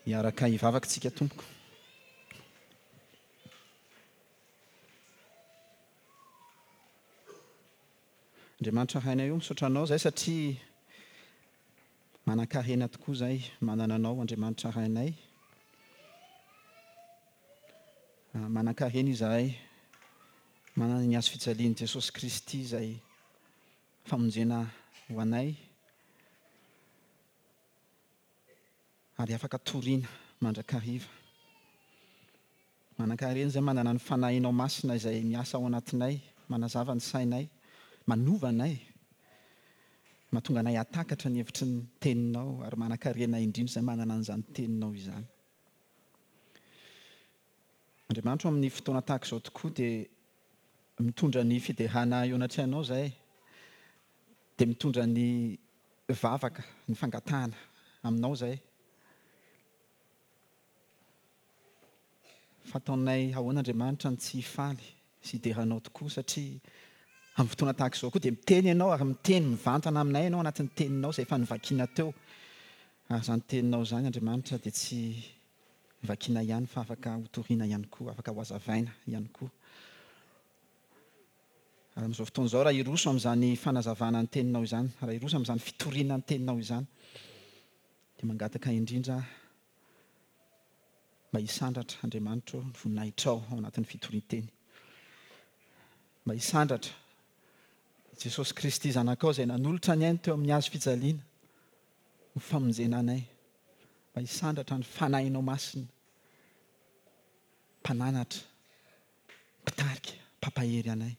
Hiaraka hivavaka isika tompoko. Andriamanitra Rainay o, misaotra Anao izay satria manan-karena tokoa izay manana Anao Andriamanitra Rainay. Manan-karena izahay manana ny hazo fijalian'i Jesosy Kristy izay famonjena ho anay. Ary afaka toriana mandrakariva. Manankarena izay manana ny Fanahinao Masina izay miasa ao anatinay, manazava ny sainay, manova anay, mahatonga anay hahatakatra ny hevitry ny Teninao, ary manankarena indrindra izay manana an'izany Teninao izany. Andriamanitra o, amin'ny fotoana tahaka izao tokoa dia mitondra ny fiderana eo anatrehanao izahay, dia mitondra ny vavaka, ny fangatahana aminao izahay. Fa ataonay ahoana Andriamanitra no tsy hifaly sy hidera Anao tokoa satria amin'ny fotoana tahaka izao koa dia miteny Ianao ary miteny mivantana aminay Ianao anatin'ny teninao izay efa novakiana teo. Ary izany teninao izany Andriamanitra dia tsy vakiana ihany fa afaka hotorina ihany koa, afaka hohazavaina ihany koa. Ary amin'izao fotoana izao raha hiroso amin'izany fanazavana ny teninao izany, raha hiroso amin'izany fitoriana ny teninao izany dia mangataka indrindra aho Mba hisandratra, Andriamanitra ô, ny voninahitrao ao anatin'ny fitorian-teny. Mba hisandratra Jesosy Kristy Zanakao izay nanolotra ny ainy teo amin'ny hazo fijaliana ho famonjena anay. Mba hisandratra ny Fanahinao Masina, Mpananatra, Mpitarika, Mpampahery anay.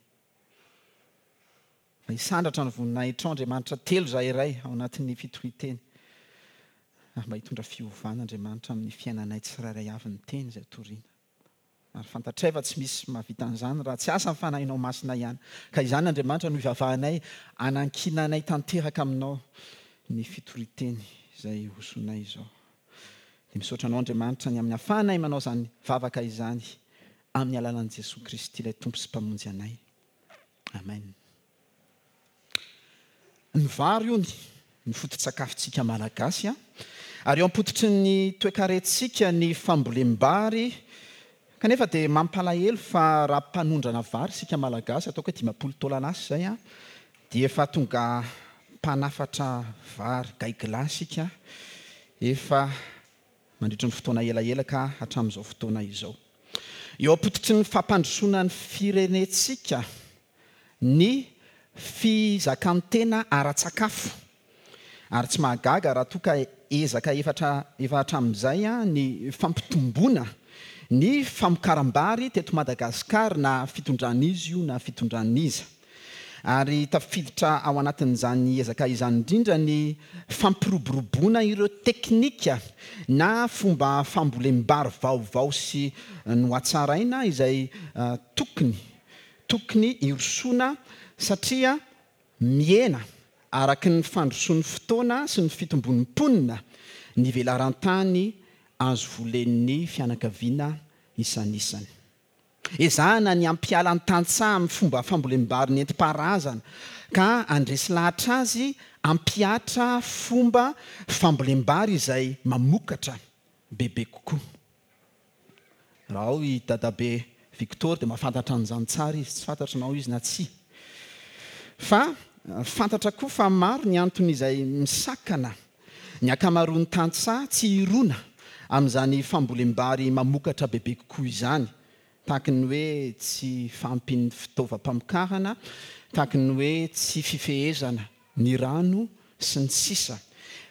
Mba hisandratra ny voninahitrao Andriamanitra telo izahay Ray ao anatin'ny fitorian-teny ary mba hitondra fiovana Andriamanitra amin'ny fiainanay tsirairay avy ny teny izay torina. Ary fantatray fa tsy misy mahavita an'izany raha tsy asan'ny Fanahinao Masina ihany. Ka izany Andriamanitra no ivavahanay anankinanay tanteraka aminao ny fitorian-teny izay hosonay izao. Dia misaotra Anao Andriamanitra ny amin'ny ahafahanay manao izany vavaka izany amin'ny alalan'i Jesoa Kristy ilay Tompo sy Mpamonjy anay. Amen. Ny vary hono ny foto-tsakafontsika Malagasy an! Ary eo am-pototry ny toekarentsika ny fambolem-bary kanefa dia mampalahelo fa raha mpanondrana vary isika Malagasy ataoko hoe 50 taona lasa izay an, dia efa tonga mpanafatra vary gaigilahy isika efa mandritry ny fotoana elaela ka hatramin'izao fotoana izao. Eo am-pototry ny fampandrosoana ny firenentsika ny fizakan-tena ara-tsakafo. Ary tsy mahagaga raha toa ka ezaka efatra efa hatramin'izay ny fampitomboana ny famokaram-bary teto Madagasikara na fitondran'iza io na fitondran'iza. Ary tafiditra ao anatin'izany ezaka izany indrindra ny fampiroboroboana ireo teknika na fomba fambolem-bary vaovao sy nohatsaraina izay tokony tokony hirosoana satria mihena araka ny fandrosoan'ny fotoana sy ny fitombon'ny mponina ny velaran-tany azo volen'ny fianakaviana isanisany. Ezahana ny hampiala ny tantsaha amin'ny fomba fambolem-bary nentim-paharazana ka handresy lahatra azy hampihatra fomba fambolem-bary izay mamokatra bebe kokoa. Raha ao i Dadabe Victor dia mahafantatra an'izany tsara izy, tsy fantatro na ao izy na tsia. Fa fantatra koa fa maro ny antony izay misakana ny ankamaroan'ny tantsaha tsy hirona amin'izany fambolem-bary mamokatra bebe kokoa izany, tahaky ny hoe tsy fahampian'ny fitaovam-pamokarana, tahaky ny hoe tsy fifehezana ny rano, sy ny sisa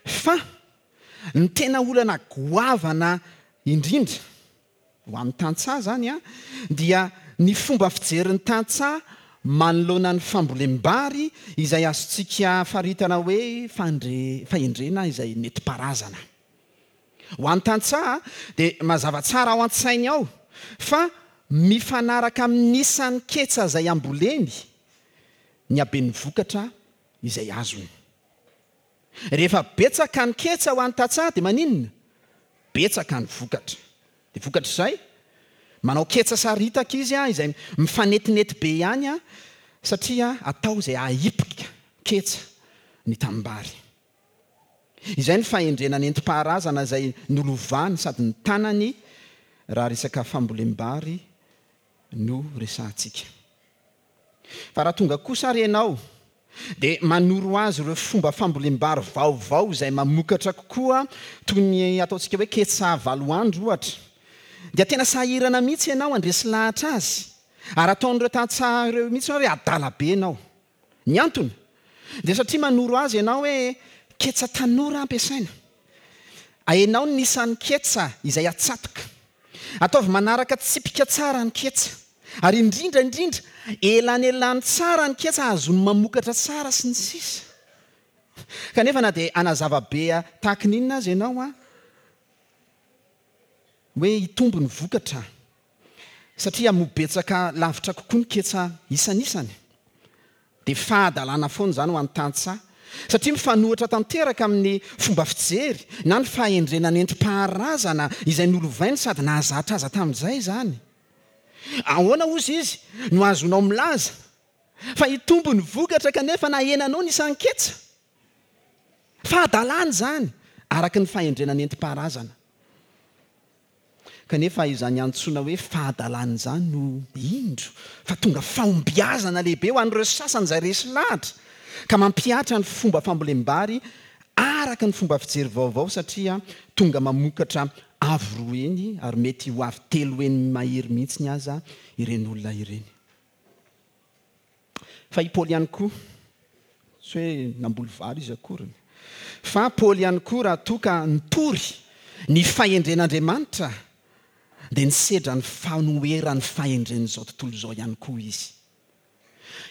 Fa ny tena olana goavana indrindra Ho an'ny tantsaha izany dia ny fomba fijerin'ny tantsaha manoloana ny fambolem-bary izay azontsika faritana hoe fahendrena izay nentim-paharazana. Ho an'ny tantsaha dia mazava tsara ao an-tsainy ao fa mifanaraka amin'ny isan'ny ketsa izay amboleny ny haben'ny vokatra izay azony. Rehefa betsaka ny ketsa ho an'ny tantsaha dia maninona? Betsaka ny vokatra. Dia vokatr'izay, manao ketsa saritaka izy izay mifanetinety be ihany satria atao izay hahipika ketsa ny tanimbary. Izay ny fahendrena nentim-paharazana izay nolovany sady notanany raha resaka fambolem-bary no resahantsika. Fa raha tonga kosa ary ianao dia manoro azy ireo fomba fambolem-bary vaovao izay mamokatra kokoa toy ny ataontsika hoe ketsa valoandro ohatra dia tena sahirana mihitsy ianao handresy lahatra azy ary ataon'ireo tantsaha ireo mihitsy hoe adala be ianao. Ny antony dia satria manoro azy ianao hoe ketsa tanora ampiasaina. Ahenao ny isan'ny ketsa izay atsatoka. Ataovy manaraka tsipika tsara ny ketsa. Ary indrindra indrindra, elanelano tsara ny ketsa hahazoany mamokatra tsara sy ny sisa. Kanefa na dia hanazava be tahaky ny inona aza ianao hoe hitombo ny vokatra satria hamoa betsaka lavitra kokoa ny ketsa isanisany, dia fahadalana foana izany ho an'ny tantsaha satria mifanohitra tanteraka amin'ny fomba fijery na ny fahendrena nentim-paharazana izay nolovainy sady nahazatra aza tamin'izay izany. Ahoana hozy izy no ahazoanao milaza fa hitombo ny vokatra kanefa nahenanao ny isan'ny ketsa? Fahadalana izany araka ny fahendrena nentim-paharazana. Kanefa izany antsoina hoe fahadalana izany no indro fa tonga fahombiazana lehibe ho an'ireo sasany izay resy lahatra ka mampihatra ny fomba fambolem-bary araka ny fomba fijery vaovao satria tonga mamokatra avo roa heny ary mety ho avo telo heny mahery mihitsiny aza ireny olona ireny. Fa i Paoly ihany koa, tsy hoe namboly vary izy akoriny, fa Paoly ihany koa raha toa ka nitory ny fahendren'Andriamanitra dia nisedra ny fanoheran'ny fahendren'izao tontolo izao ihany koa izy.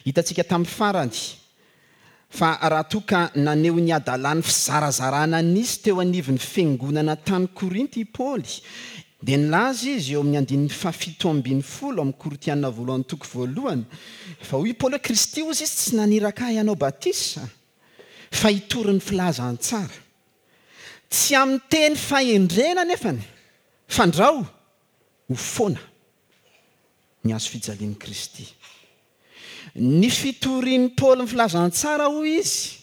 Hitantsika tamin'ny farany fa raha toa ka naneho ny hadalan'ny fizarazarana nisy teo anivon'ny fiangonana tany Korinto i Paoly, dia nilaza izy eo amin'ny andininy fahafito ambin'ny folo amin'ny Korintiana voalohany toko voalohany, fa hoy i Paoly hoe, Kristy hozy izy tsy naniraka ahy hanao batisa, fa hitory ny filazantsara. Tsy amin'ny teny fahendrena anefany, fandrao ho foana ny hazo fijalian'i Kristy. Ny fitorian'i Paoly ny filazantsara, hoy izy,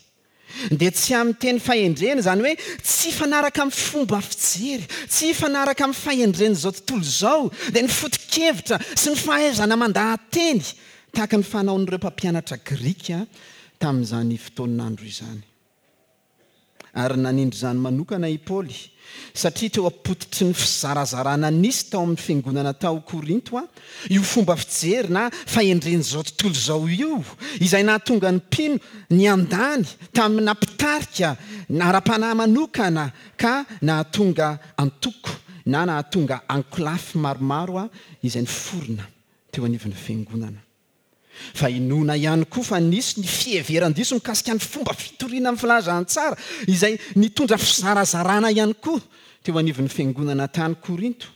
dia tsy amin'ny teny fahendrena, izany hoe tsy hifanaraka amin'ny fomba fijery, tsy hifanaraka amin'ny fahendren'izao tontolo izao, dia ny foto-kevitra sy ny fahaizana mandaha-teny, tahaka ny fanaon'ireo mpampianatra grika tamin'izany fotoan'andro izany. Ary nanindry izany manokana i Paoly, satria teo am-pototry ny fizarazarana nisy tao amin'ny fiangonana tao Korinto io fomba fijery na fahendren'izao tontolo izao io, izay nahatonga ny mpino niandany tamina mpitarika ara-panahy manokana ka nahatonga antoko na nahatonga ankolafy maromaro izay niforona teo anivon'ny fiangonana. Fa inoana ihany koa fa nisy ny fiheveran-diso mikasika ny fomba fitoriana ny filazantsara izay nitondra fizarazarana ihany koa teo anivon'ny fiangonana tany Korinto.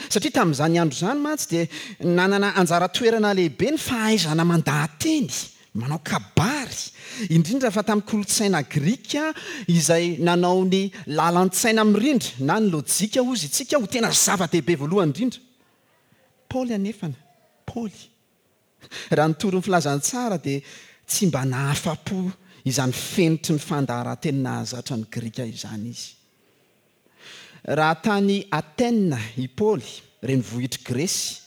Satria tamin'izany andro izany mantsy dia nanana anjara toerana lehibe ny fahaizana mandaha-teny, manao kabary, indrindra fa tamin'ny kolontsaina grika izay nanao ny lalan-tsaina mirindra na ny lojika hozy isika ho tena zava-dehibe voalohany indrindra. Paoly anefa, Paoly. Raha nitory ny filazantsara dia tsy mba nahafa-po izany fenitry ny fandaharan-teny nahazatra ny Grika izany izy. Raha tany Athènes i Paoly, renivohitr'i Gresy,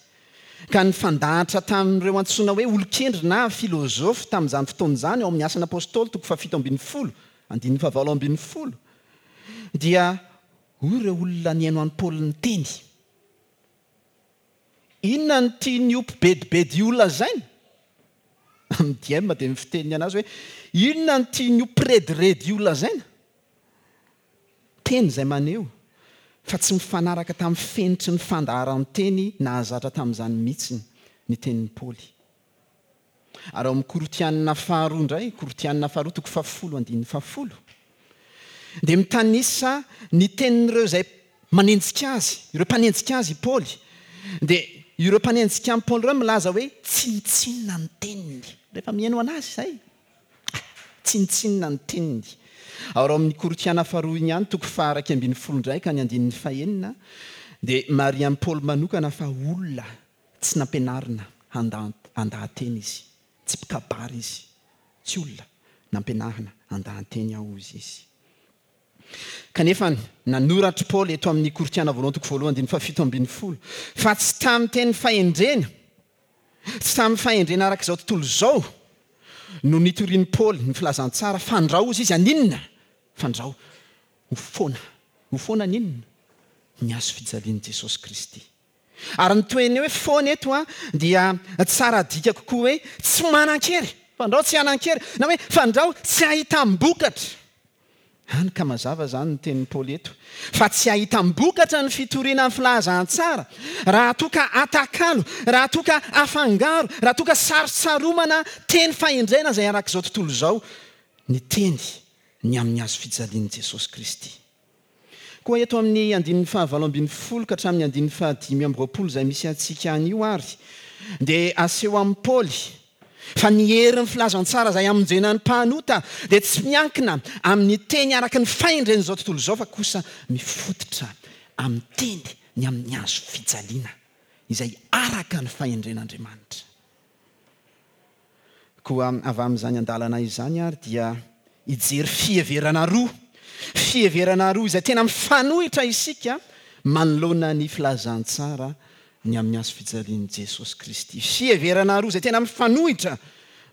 ka nifandahatra tamin'ireo antsoina hoe olon-kendry na filôzôfy tamin'izany fotoana izany ao amin'ny Asan'ny Apôstôly toko fahafito ambin'ny folo, andininy fahavalo ambin'ny folo, dia hoy ireo olona nihaino an'i Paoly niteny, Inona no tian'io mpibedibedy io lazaina? Amin'ny diem dia ny fiteniny anazy hoe, inona no tian'io mpirediredy io lazaina? Teny izay maneho fa tsy mifanaraka tamin'ny fenitry ny fandaharan-teny nahazatra tamin'izany mihitsy ny tenin'i Paoly. Ary ao amin'ny Korintianina faharoa indray, Korintianina faharoa toko fahafolo andininy fahafolo, dia mitanisa ny tenin'ireo izay manenjika azy, ireo mpanenjika azy i Paoly. Dia ireo mpanenjika an'i Paoly ireo milaza hoe tsinontsinona ny teniny. Rehefa mihaino an'azy izay, tsinontsinona ny teniny. Ary ao amin'ny Korintiana faharoa iny ihany, toko faha-iraika ambin'ny folo indray ka ny andininy fahenina, dia marihan'i Paoly manokana fa olona Tsy nampianarina handaha-teny izy. Tsy mpikabary izy. Tsy olona nampianarina handaha-teny aho, hozy izy. Kanefa nanoratr'i Paoly eto amin'ny Korintiana voalohany toko voalohany andininy fahafito ambin'ny folo fa tsy tamin'ny teny fahendrena, tsy tamin'ny fahendrena araka izao tontolo izao no nitorian'i Paoly ny filazantsara, fandrao hozy izy haninona? Fandrao ho foana. Ho foana ny inona? Ny hazo fijalian'i Jesosy Kristy. Ary ny tohin'ny hoe foana eto dia tsara adika kokoa hoe tsy manan-kery, fandrao tsy hanan-kery, na hoe fandrao tsy hahitam-bokatra. Hany ka mazava izany ny tenin'i Paoly eto, fa tsy hahitam-bokatra ny fitoriana ny filazantsara raha toa ka atakalo, raha toa ka afangaro, raha toa ka sarotsaromana teny fahendrena izay arak'izao tontolo izao ny teny ny amin'ny hazo fijalian'i Jesosy Kristy. Koa eto amin'ny andininy faha-18 ka hatramin'ny andininy faha-25 izay misy antsika anio ary dia aseho amin'i Paoly fa ny herin'ny filazantsara izay hamonjena ny mpanota dia tsy miankina amin'ny teny araka ny fahendren'izao tontolo izao fa kosa mifototra amin'ny teny ny amin'ny hazo fijaliana izay araka ny fahendren'Andriamanitra. Koa avy amin'izany andalana izany ary dia hijery fiheverana roa, fiheverana roa izay tena mifanohitra isika manoloana ny filazantsara ny amin'ny hazo fijalian'i Jesosy Kristy. Fiheverana roa izay tena mifanohitra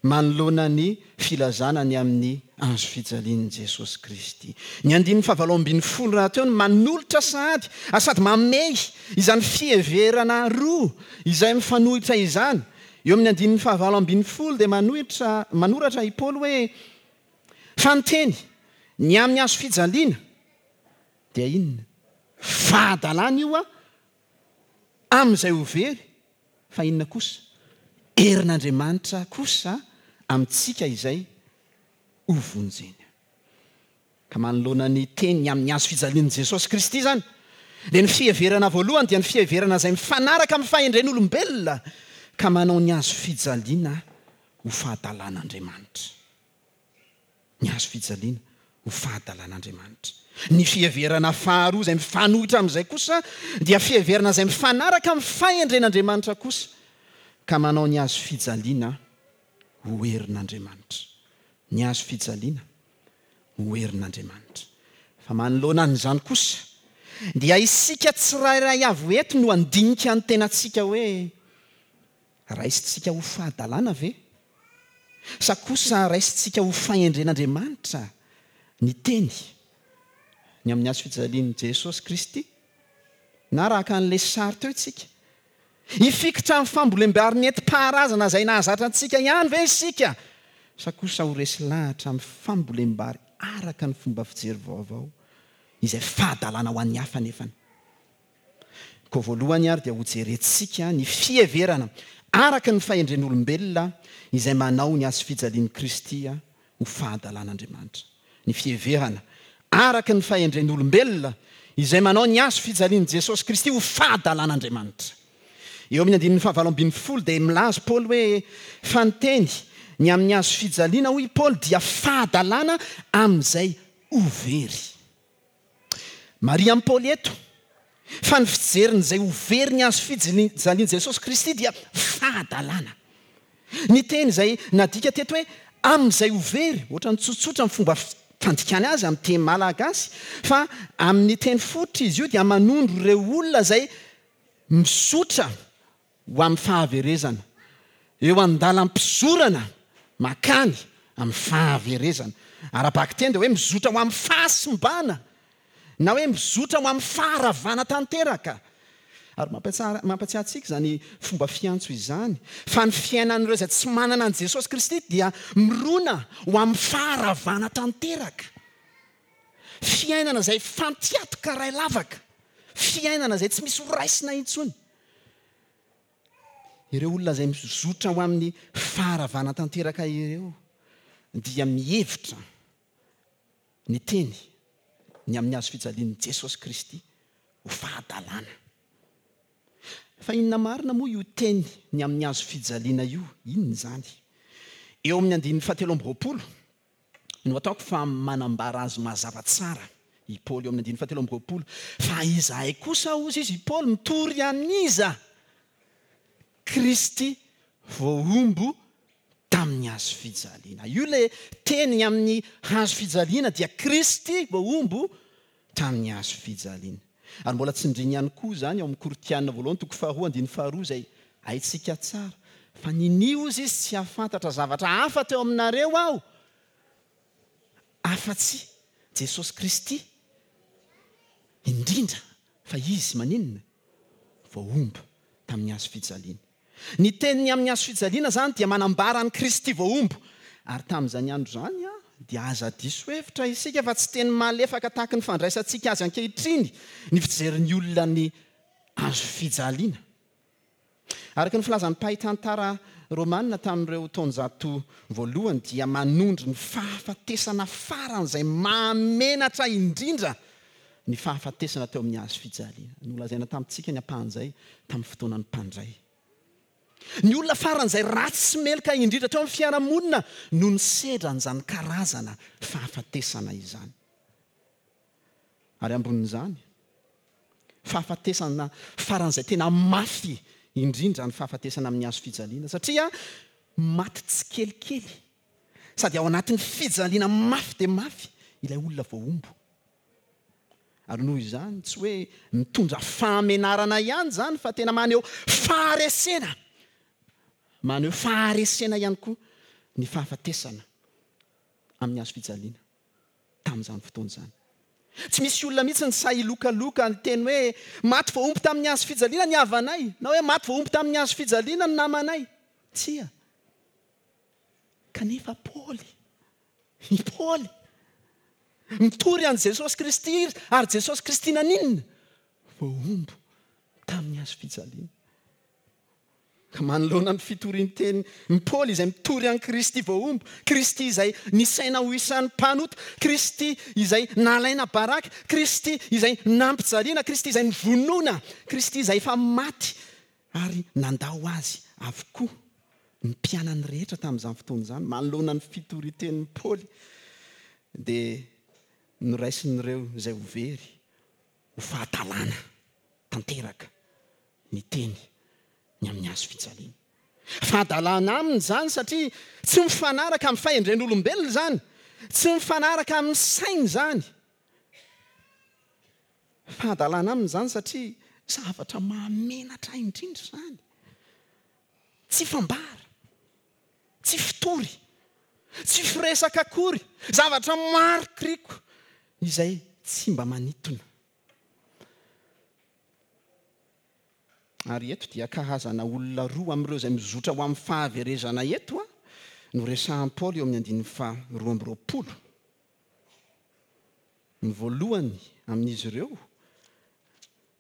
manoloana ny filazana ny amin'ny hazo fijalian'i Jesosy Kristy. Ny andininy fahavalo ambin'ny folo rahateo no manolotra sahady ary sady mamehy izany fiheverana roa izay mifanohitra izany. Eo amin'ny andininy fahavalo ambin'ny folo dia manohitra, manoratra i Paoly hoe, Fa ny teny, ny amin'ny hazo fijaliana, dia inona? Fahadalana io amin'izay ho very, fa inona kosa? Herin'Andriamanitra kosa amintsika izay ho vonjena. Ka manoloana ny teny amin'ny hazo fijalian'i Jesosy Kristy izany, dia ny fiheverana voalohany dia ny fiheverana izay mifanaraka amin'ny fahendren'olombelona ka manao ny hazo fijaliana ho fahadalan'Andriamanitra. Ny hazo fijaliana ho fahadalan'Andriamanitra. Ny fiheverana faharoa izay mifanohitra amin'izay kosa dia fiheverana izay mifanaraka amin'ny fahendren'Andriamanitra kosa ka manao ny hazo fijaliana ho herin'Andriamanitra. Ny hazo fijaliana ho herin'Andriamanitra. Fa manoloana an'izany kosa, dia isika tsirairay avy eto no handinika ny tenantsika hoe, Raisintsika ho fahadalana ve? Sa kosa raisintsika ho fahendren'Andriamanitra ny teny ny amin'ny hazo fijalian'i Jesosy Kristy? Na raha haka an'ilay sary teo isika, Hifikitra amin'ny fambolem-bary nentim-paharazana izay nahazatra antsika ihany ve isika, sa kosa ho resy lahatra amin'ny fambolem-bary araka ny fomba fijery vaovao, izay fahadalana ho an'ny hafa anefany? Koa voalohany ary dia hojerentsika ny fiheverana araka ny fahendren'olombelona izay manao ny hazofijalian'i Kristy ho fahadalan'Andriamanitra. Ny fiheverana araka ny fahendren'olombelona izay manao ny hazo fijalian'i Jesosy Kristy ho fahadalan'Andriamanitra. Eo amin'ny andininy fahavalo ambin'ny folo dia milaza Paoly hoe, Fa ny teny ny amin'ny hazo fijaliana, hoy i Paoly, dia fahadalana amin'izay ho very. Marihan'i Paoly eto fa ny fijerin'izay ho very ny hazo fijalian'i Jesosy Kristy dia fahadalana. Ny teny izay nadika teto hoe amin'izay ho very, ohatran'ny tsotsotra ny fomba fandikany azy amin'ny teny malagasy, fa amin'ny teny fototra izy io dia manondro ireo olona izay mizotra ho amin'ny fahaverezana, eo an-dalam-pizorana mankany amin'ny fahaverezana. Ara-bakiteny dia hoe mizotra ho amin'ny fahasimbana, na hoe mizotra ho amin'ny faharavana tanteraka. Ary mampatsiahy antsika izany fomba fiantso izany, fa ny fiainan'ireo izay tsy manana an'i Jesosy Kristy dia mirona ho amin'ny faharavana tanteraka. Fiainana izay fantiatoka ray lavaka, fiainana izay tsy misy horaisina intsony. Ireo olona izay mizotra ho amin'ny faharavana tanteraka ireo dia mihevitra ny teny ny amin'ny hazo fijalian'i Jesosy Kristy ho fahadalana. Fa inona marina moa io teny ny amin'ny hazo fijaliana io? Inona izany? Eo amin'ny andininy fahatelo amby roapolo no ataoko fa manambara azy mazava tsara i Paoly eo amin'ny andininy fahatelo amby roapolo, Fa izahay kosa, hozy izy, i Paoly, mitory an'iza? Kristy voahombo tamin'ny hazo fijaliana. Io ilay teny amin'ny hazo fijaliana dia Kristy voahombo. tamin'ny hazo fijaliana. Ary mbola tsindriny ihany koa izany ao amin'ny Korintiana voalohany toko faharoa andininy faharoa izay haintsika tsara fa ninia hozy izy tsy hahafantatra zavatra hafa teo aminareo aho afa-tsy Jesosy Kristy indrindra fa Izy maninona? Voahombo tamin'ny hazo fijaliana. Ny teniny amin'ny hazo fijaliana izany dia manambara an'i Kristy voahombo. Ary tamin'izany andro izany dia aza diso hevitra isika fa tsy teny malefaka tahaka ny fandraisantsika azy ankehitriny ny fijerin'ny olona ny hazo fijaliana. Araka ny filazan'ny mpahay tantara romana tamin'ireo taonjato voalohany dia manondro ny fahafatesana faran'izay mahamenatra indrindra ny fahafatesana teo amin'ny hazo fijaliana. Nolazaina tamintsika ny ampahan'izay tamin'ny fotoanan'ny mpandray. Ny olona faran'izay ratsy sy meloka indrindra teo amin'ny fiarahamonina no nisedra an'izany karazana fahafatesana izany. Ary ambonin'izany, fahafatesana faran'izay tena mafy indrindra ny fahafatesana amin'ny hazo fijaliana, satria maty tsikelikely sady ao anatin'ny fijaliana mafy dia mafy ilay olona voahombo. Ary noho izany, tsy hoe mitondra fahamenarana ihany izany fa tena maneho faharesena, maneho faharesena ihany koa ny fahafatesana amin'ny hazo fijaliana tamin'izany fotoana izany. Tsy misy olona mihitsy ny sahy hilokaloka niteny hoe maty voahombo tamin'ny hazo fijaliana ny havanay, na hoe maty voahombo tamin'ny hazo fijaliana ny namanay. Tsia. Kanefa Paoly, i Paoly, mitory an'i Jesosy Kristy izy, ary Jesosy Kristy naninona? Voahombo tamin'ny hazo fijaliana. Ka manoloana ny fitorian-teny ny Paoly izay mitory an'i Kristy voahombo, Kristy izay nisaina ho isan'ny mpanota, Kristy izay nalaina baraka, Kristy izay nampijaliana, Kristy izay novonoina, Kristy izay efa maty ary nandao azy avokoa ny mpianany rehetra tamin'izany fotoana izany. Manoloana ny fitorian-tenin'i Paoly dia noraisin'ireo izay ho very ho fahadalana tanteraka ny teny ny amin'ny hazo fijaliana. Fahadalana aminy izany satria tsy mifanaraka amin'ny fahendren'olombelona izany, tsy mifanaraka amin'ny sainy izany. Fahadalana aminy izany satria zavatra mahamenatra indrindra izany. Tsy fambara, tsy fitory, tsy firesaka akory, zavatra marikoriko izay tsy mba manintona. Ary eto dia karazana olona roa amin'ireo izay mizotra ho amin'ny fahaverezana eto no resahan'i Paoly eo amin'ny andininy faha 22. Ny voalohany amin'izy ireo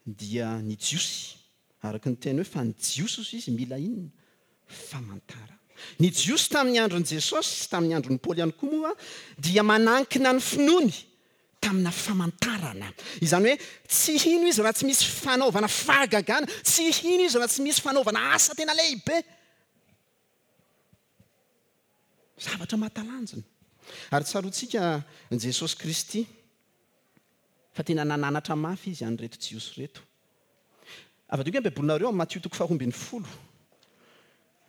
dia ny Jiosy, araka ny teny hoe fa ny Jiosy hozy izy mila inona? Famantarana. Ny Jiosy tamin'ny andron'i Jesosy sy tamin'ny andron'i Paoly ihany koa moa dia manankina ny finoany tamina famantarana. Izany hoe tsy hino izy raha tsy misy fanaovana fahagagana, tsy hino izy raha tsy misy fanaovana asa tena lehibe. Zavatra mahatalanjona. Ary tsaroantsika Jesosy Kristy fa tena nananatra mafy Izy an'ireto Jiosy ireto. Avadiko ny Baibolinareo amin'ny Matio toko faharoa ambin'ny folo.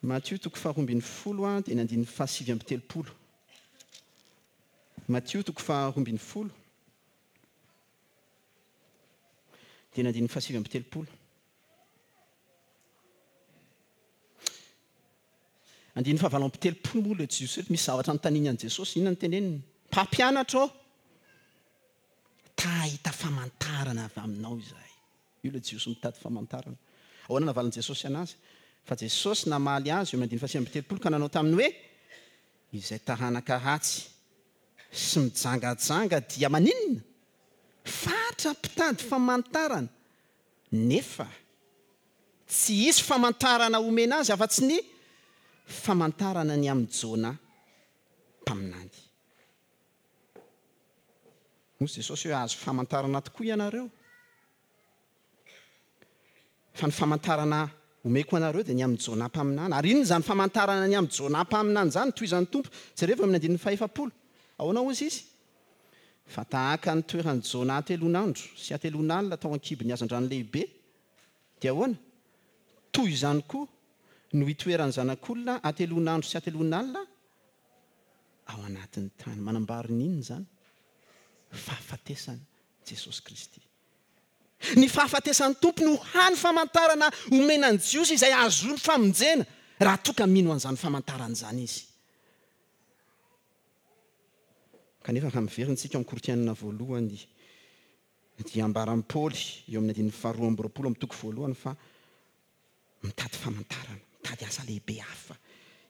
Matio toko faharoa ambin'ny folo dia ny andininy faha 39. Matio toko faharoa ambin'ny folo dia ny andininy faha 39. Andininy faha 38 moa ilay Jiosy ireto misy zavatra anontaniany an'i Jesosy. Inona no teneniny? Mpampianatra ô, ta hahita famantarana avy aminao izahay. Io ilay Jiosy mitady famantarana. Ahoana navalin'i Jesosy anazy? Fa Jesosy namaly azy eo amin'ny andininy faha 39 ka nanao taminy hoe, Izay taranaka ratsy sy mijangajanga dia maninona? Fatra mpitady famantarana. Nefa tsy hisy famantarana homena azy afa-tsy ny famantarana ny amin'i Jona mpaminany. Hoy Jesosy hoe, Hahazo famantarana tokoa ianareo. Fa ny famantarana omeko anareo dia ny amin'i Jona mpaminany. Ary inona izany famantarana ny amin'i Jona mpaminany izany? Tohizan'ny Tompo. Jerevo eo amin'ny andininy fahefapolo. Ahoana hozy izy? Fa tahaka ny toeran'i Jona hateloan'andro sy hateloan'alina tao an-kibon'ny hazandrano lehibe, dia ahoana? Toy izany koa no hitoeran'ny Zanak'olona hateloan'andro sy hateloan'alina ao anatin'ny tany. Manambara ny inona izany? Fahafatesana. Jesosy Kristy. Ny fahafatesan'ny Tompo no hany famantarana omena ny Jiosy izay hahazoany famonjena raha toa ka mino an'izany famantarana izany izy. Kanefa raha miverina isika ao amin'ny Korintiana voalohany dia ambaran'i Paoly eo amin'ny andininy faharoa amby 20 amin'ny toko voalohany fa mitady famantarana, mitady asa lehibe hafa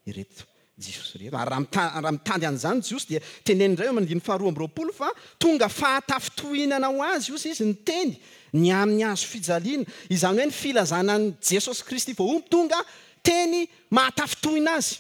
ireto Jiosy ireto. Ary raha mitady an'izany ny Jiosy dia teneniny indray eo amin'ny andininy faharoa amby 20 fa tonga fahatafintohinana ho azy, hozy izy, ny teny ny amin'ny hazo fijaliana. Izany hoe ny filazana an'i Jesosy Kristy voahombo tonga teny mahatafintohina azy.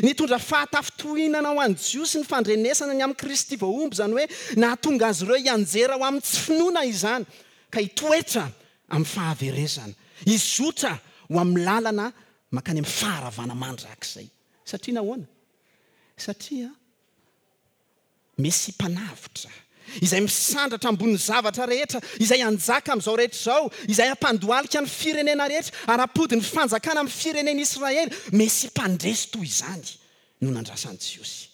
Nitondra fahatafintohinana ho an'ny Jiosy ny fandrenesana ny amin'i Kristy voahombo, izany hoe nahatonga azy ireo hianjera ho amin'ny tsy finoana izany, ka hitoetra amin'ny fahaverezana, hizotra ho amin'ny lalana mankany amin'ny faharavana mandrakizay. Satria nahoana? Satria Mesia Mpanavotra, izay misandratra ambonin'ny zavatra rehetra, izay hanjaka amin'izao rehetra izao, izay hampandohalika ny firenena rehetra ary hampody ny fanjakana amin'ny firenen'Israely. Mesia Mpandresy toy izany no nandrasan'ny Jiosy.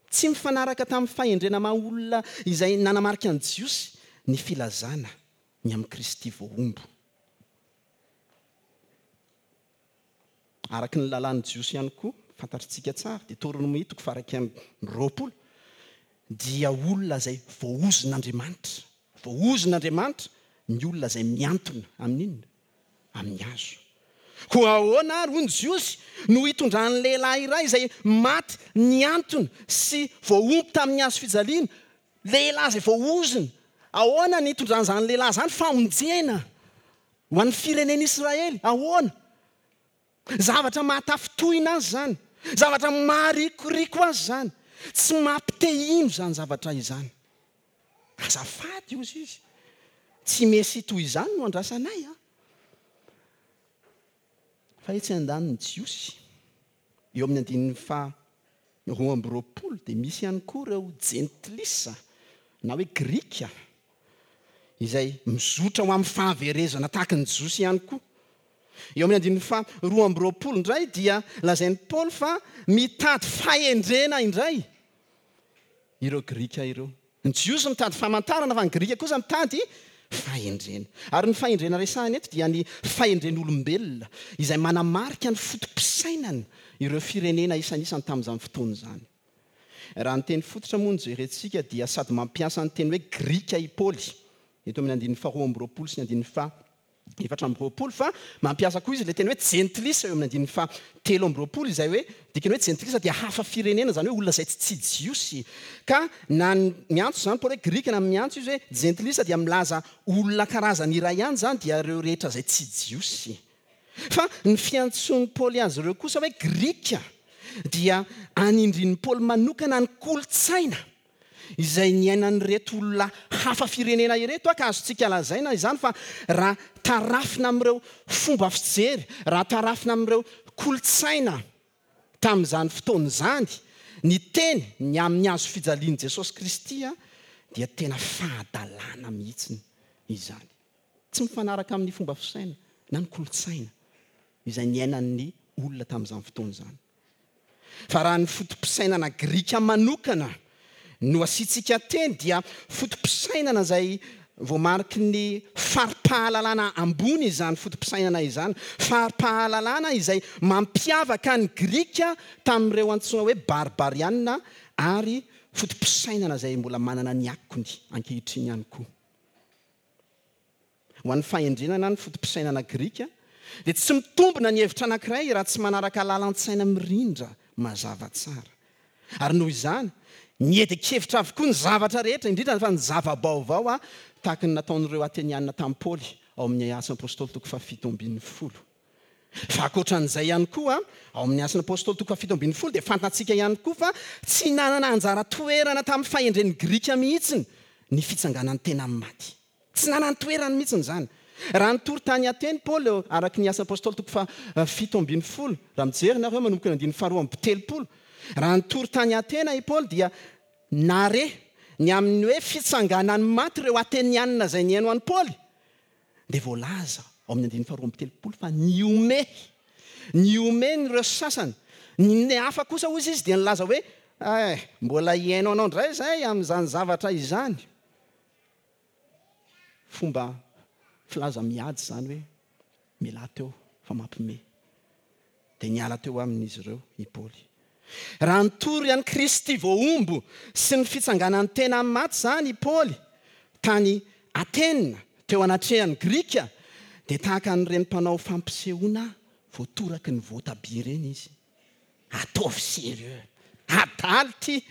Tsy mifanaraka tamin'ny fahendrena maha olona izay nanamarika ny Jiosy ny filazana ny amin'i Kristy voahombo. Araka ny lalàn'ny Jiosy ihany koa, fantatritsika tsara, Deoteronomia toko faha-21, dia olona izay voaozon'Andriamanitra, voaozon'Andriamanitra ny olona izay mihantona amin'inona? Amin'ny hazo. Koa ahoana ary, hoy ny Jiosy, no hitondran'ny lehilahy iray izay maty nihantona sy voahombo tamin'ny hazo fijaliana, lehilahy izay voaozona, ahoana ny hitondran'izany lehilahy izany famonjena Ho an'ny firenen'Israely, ahoana? Zavatra mahatafintohina azy izany. Zavatra maharikoriko azy izany. Tsy mampite-hino izany zavatra izany. Azafady, hozy izy. Tsy Mesia toy izany no andrasanay an! Fa etsy andanin'ny Jiosy, eo amin'ny andininy faha 22 dia misy ihany koa ireo Jentilisa na hoe Grika izay mizotra ho amin'ny fahaverezana tahaka ny Jiosy ihany koa. Eo amin'ny andininy faha 22 indray dia lazain'i Paoly fa mitady fahendrena indray ireo Grika ireo. Ny Jiosy mitady famantarana fa ny Grika kosa mitady fahendrena. Ary ny fahendrena resahina eto dia ny fahendren'olombelona izay manamarika ny foto-pisainana ireo firenena isanisany tamin'izany fotoana izany. Raha ny teny fototra moa no jerentsika dia sady mampiasa ny teny hoe Grika i Paoly eto amin'ny andininy faharoa amby 20 sy ny andininy faha 24 fa mampiasa koa izy ilay teny hoe jentilisa eo amin'ny andininy faha 23 izay hoe dikany hoe jentilisa dia hafa firenena izany hoe olona izay tsy jiosy ka na ny miantso izany Paoly hoe grika na miantso izy hoe jentilisa dia milaza olona karazany iray ihany izany dia ireo rehetra izay tsy jiosy fa ny fiantsoan'i Paoly azy ireo kosa hoe grika dia anindrian'i Paoly manokana ny kolontsaina izay niainan'ireto olona hafa firenena ireto ka azontsika lazaina izany fa raha tarafina amin'ireo fomba fijery, raha tarafina amin'ireo kolontsaina tamin'izany fotoana izany, ny teny ny amin'ny hazo fijalian'i Jesosy Kristy dia tena fahadalana mihitsy izany. Tsy mifanaraka amin'ny fomba fisaina na ny kolontsaina izay niainan'ny olona tamin'izany fotoana izany. Fa raha ny foto-pisainana grika manokana no asiantsika teny dia foto-pisainana izay voamariky ny fari-pahalalana ambony izany foto-pisainana izany, fari-pahalalana izay mampiavaka ny Grika tamin'ireo antsoina hoe barbariana ary foto-pisainana izay mbola manana ny akony ankehitriny ihany koa. Ho an'ny fahendrena na ny foto-pisainana grika, dia tsy mitombina ny hevitra anankiray raha tsy manaraka lalan-tsaina mirindra mazava tsara. Ary noho izany, miedin-kevitra avokoa ny zavatra rehetra, indrindra fa ny zava-baovao, tahaka ny nataon'ireo Ateniana tamin'i Paoly ao amin'ny Asan'ny Apostoly toko faha-17. Fa ankoatra an'izay ihany koa, ao amin'ny Asan'ny Apostoly toko faha-17 dia fantatsika ihany koa fa tsy nanana anjara toerana tamin'ny fahendren'ny Grika mihitsy ny fitsanganan'ny tena amin'ny maty. Tsy nanan-toerany mihitsy izany. Raha nitory tany Ateny Paoly, araka ny Asan'ny Apostoly toko faha-17, raha mijery nareo manomboka ny andininy faha-32, raha nitory tany Atena i Paoly dia nare ny amin'ny hoe fitsanganan'ny maty ireo Atenianina izay nihaino an'i Paoly, dia voalaza ao amin'ny andininy faha-32 fa nihomehy, nihomehy ireo sasany, ny hafa kosa hozy izy dia nilaza hoe. Eh, mbola hihaino anao indray izahay amin'izany zavatra izany. Fomba filaza miady izany hoe, Mialà teo fa mampime. Dia niala teo aminy izy ireo i Paoly. Raha nitory an'i Kristy voahombo sy ny fitsanganan'ny tena amin'ny maty izany i Paoly tany Atena teo anatrehan'ny Grika, dia tahaka an'ireny mpanao fampisehoana voatoraky ny voatabia ireny izy. Ataovy sérieux. Adala ity.